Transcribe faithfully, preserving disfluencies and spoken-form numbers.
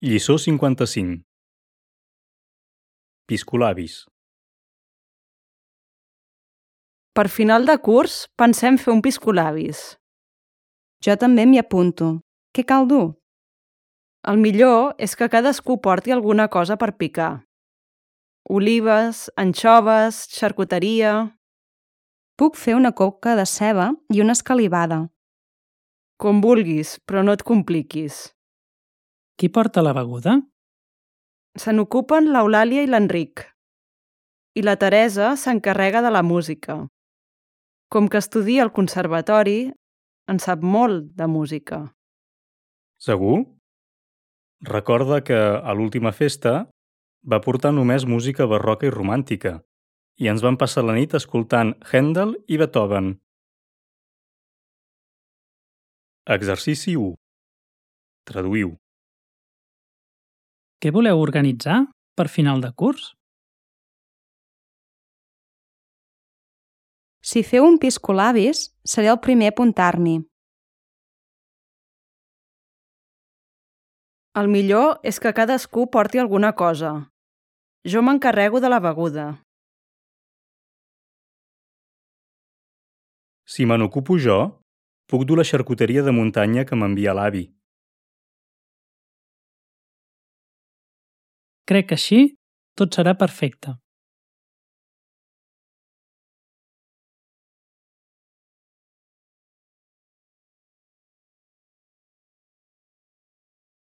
Lliçó cinquanta-cinc. Piscolabis. Per final de curs, pensem fer un piscolabis. Jo també m'hi apunto. Què cal dur? El millor és que cadascú porti alguna cosa per picar. Olives, anxoves, xarcuteria... Puc fer una coca de ceba i una escalivada. Com vulguis, però no et compliquis. Qui porta la beguda? Se n'ocupen l'Eulàlia i l'Enric. I la Teresa s'encarrega de la música. Com que estudia al conservatori, en sap molt de música. Segur? Recorda que a l'última festa va portar només música barroca i romàntica i ens vam passar la nit escoltant Händel i Beethoven. Exercici u. Traduïu. Què voleu organitzar per final de curs? Si feu un piscolabis, seré el primer a apuntar-m'hi. El millor és que cadascú porti alguna cosa. Jo m'encarrego de la beguda. Si me n'ocupo jo, puc dur la xarcuteria de muntanya que m'envia l'avi. Crec que així tot serà perfecte.